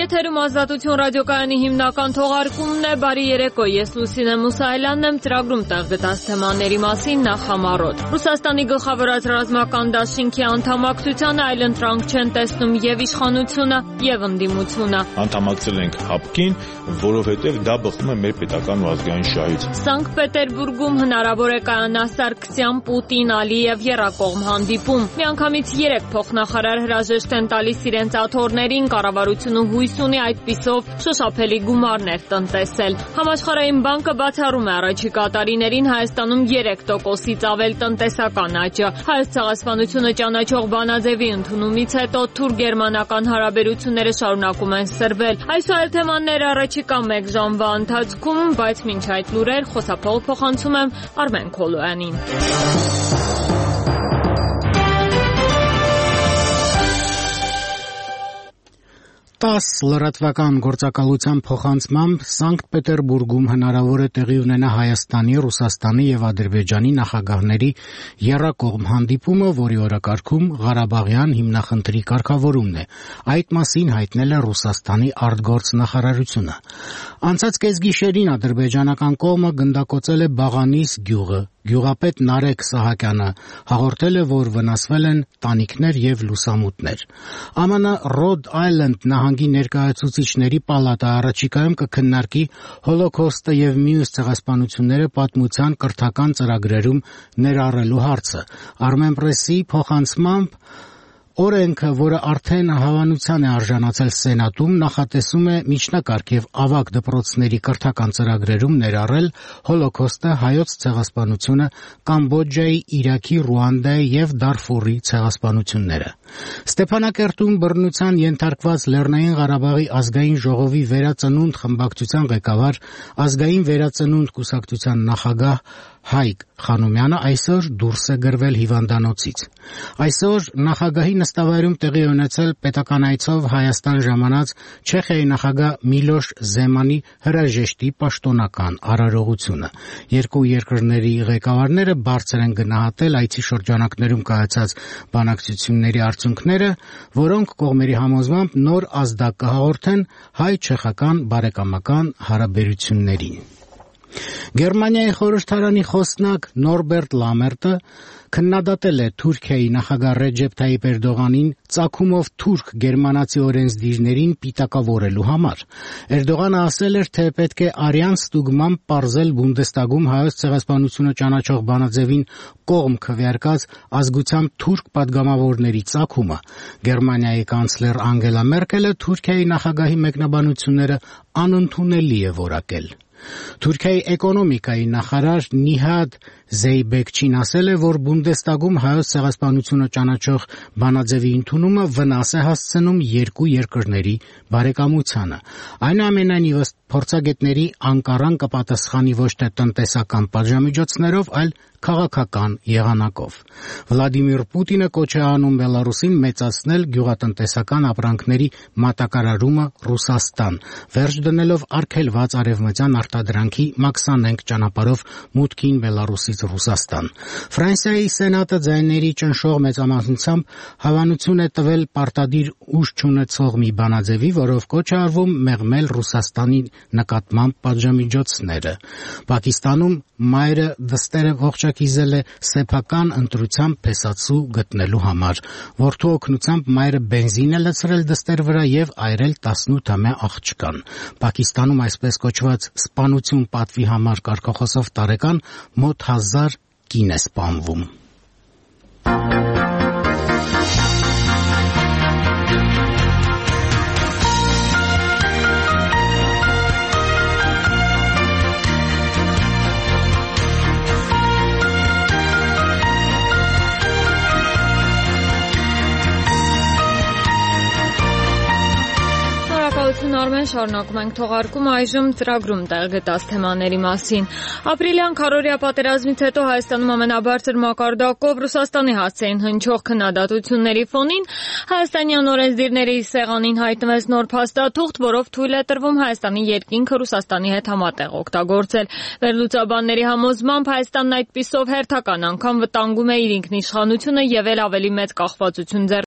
Եթերում Ազատություն ռադիոկայանի հիմնական թողարկումն է, բարի երեկո, ես Լուսինե Մուսայելյանն եմ, ծրագրում տեղ գտած թեմաների մասին նախամարոտ։ Ռուսաստանի գլխավոր ռազմական դաշինքի անդամակցությանը այլընտրանք չեն տեսնում եւ իշխանությունը, եւ ընդդիմությունը։ Անդամակցել ենք ՀԱՊԿ-ին, որովհետեւ դա բխում է մեր պետական ու ազգային շահից։ Սանկտ Պետերբուրգում հնարավոր է կայանա Սարգսյան, Պուտին, Ալիև եռակողմ հանդիպում։ Միանգամից 3 փոխնախարար հրաժեշտ են տալիս իրենց աթոռներին, կառավարությունը հույս ունի այդպիսով շոշափելի գումարներ տնտեսել։ Համաշխարհային բանկը բացառում է առաջիկա տարիներին Հայաստանում 3%-ից ավել տնտեսական աճը։ Հայոց ցեղասպանությունը ճանաչող բանաձևի ընդունումից հետո թուրք-գերմանական հարաբերությունները շարունակում են սրվել։ Այս այլ թեմաները առաջիկա 1 ժամվա ընթացքում, բայց մինչ այդ լուրեր խոսափողը փոխանցում եմ Արմեն Քոլոյանին։ 10 լրատվական գործակալության փոխանցմամբ Սանկտ Պետերբուրգում հնարավոր է տեղի ունենա Հայաստանի, Ռուսաստանի եւ Ադրբեջանի նախագահների եռակողմ հանդիպումը, որի օրակարգում Ղարաբաղյան հիմնախնդրի կարգավորումն է։ Այդ մասին հայտնել է Ռուսաստանի արտգործնախարարությունը։ Անցած կեսգիշերին ադրբեջանական կողմը գնդակոծել է Բաղանիս գյուղը։ Գյուղապետ Նարեկ Սահակյանը հաղորդել է, որ վնասվել են տանիքներ եւ լուսամուտներ։ ԱՄՆ Ռոդ Այլենդ նահանգի ներկայացուցիչների պալատը առաջիկայում կքննարկի Հոլոքոստը եւ մյուս ցեղասպանությունները պատմության կրթական ծրագրերում ներառելու հարցը։ Armenpress-ի փոխանցմամբ օրենքը, որը արդեն հավանության է արժանացել Սենատում, նախատեսում է միջնակարգ եւ ավագ դպրոցների կրթական ծրագրերում ներառել Հոլոքոստը, հայոց ցեղասպանությունը, Կամբոջայի, Իրաքի, Ռուանդայի եւ Դարֆուրի ցեղասպանությունները։ Ստեփանակերտում բռնության ենթարկված Լեռնային Ղարաբաղի ազգային ժողովի վերածնունդ խմբակցության ղեկավար, ազգային վերածնունդ կուսակցության նախագահ Հայկ Խանոմյանը այսօր դուրս է գրվել հիվանդանոցից։ Այսօր նախագահի նստավայրում տեղի ունեցել պետական այցով Հայաստան ժամանած Չեխիայի նախագահ Միլոշ Զեմանի հրաժեշտի պաշտոնական արարողությունը։ Երկու երկրների ղեկավարները բարձր են գնահատել այցի շրջանակներում կայացած բանակցությունների արդյունքները, որոնք կողմերի համոզմամբ նոր ազդակ կհաղորդեն հայ-չեխական բարեկամական հարաբերություններին։ Գերմանիայի խորհրդարանի խոսնակ Նորբերտ Լամերտը քննադատել է Թուրքիայի նախագահ Ռեջեփ Թայիպ Էրդողանին ծագումով թուրք գերմանացի օրենսդիրներին պիտակավորելու համար։ Էրդողանը ասել էր, թե պետք է արյան ստուգմամբ պարզել Բունդեստագում հայոց ցեղասպանությունը ճանաչող բանաձևին կողմ քվեարկած ազգությամբ թուրք падգամավորների ծագումը։ Գերմանիայի կանցլեր Անգելա Մերկելը Թուրքիայի նախագահի մեկնաբանությունները անընդունելի է որակել։ Թուրքիայի էկոնոմիկայի նախարար Նիհադ Զեյբեկչին ասել է, որ Բունդեստագում հայոց ցեղասպանությունը ճանաչող բանաձևի ընդունումը վնաս է հասցնում երկու երկրների բարեկամությանը։ Այնուամենայնիվ, ըստ փորձագետների, Անկարան կպատասխանի ոչ թե տնտեսական պատժամիջոցներով, այլ քաղաքական եղանակով։ Վլադիմիր Պուտինը կոչ է անում Բելարուսին մեծացնել գյուղատնտեսական ապրանքների մատակարարումը Ռուսաստան, վերջ դնելով արգելված արևմտյան արտադրանքի մաքսանենգ ճանապարհով մուտքին Բելարուսից Ռուսաստան։ Ֆրանսիայի Սենատը ձայների ճնշող մեծամասնությամբ հավանություն է տվել պարտադիր ուժ չունեցող մի բանաձևի, որով կոչ է արվում մեղմել Ռուսաստանի նկատմամբ պատժամիջոցները։ Պակիստանում մայրը դստերը ողջակիզել է սեփական ընտրությամբ փեսացու գտնելու համար։ Որդու օգնությամբ մայրը բենզին է լցրել դստեր վրա եւ այրել 18-ամյա աղջկան։ Պակիստանում այսպես կոչված սպանություն պատվի համար կարգախոսով տարեկան մոտ 1000 կին է սպանվում։ Արմեն, շարունակում ենք թողարկումը այժմ ծրագրում տեղ գտած թեմաների մասին։ Ապրիլյան քարոզիա պատերազմից հետո Հայաստանում ամենաբարձր մակարդակով Ռուսաստանի հասցեին հնչող քննադատությունների ֆոնին հայաստանյան օրենսդիրների սեղանին հայտնվեց նոր փաստաթուղթ, որով թույլ է տրվում Հայաստանի երկինքը Ռուսաստանի հետ համատեղ օգտագործել։ Վերլուծաբանների համոզմամբ Հայաստանն այդպիսով հերթական անգամ վտանգում է իր ինքնիշխանությունը եւ էլ ավելի մեծ կախվածություն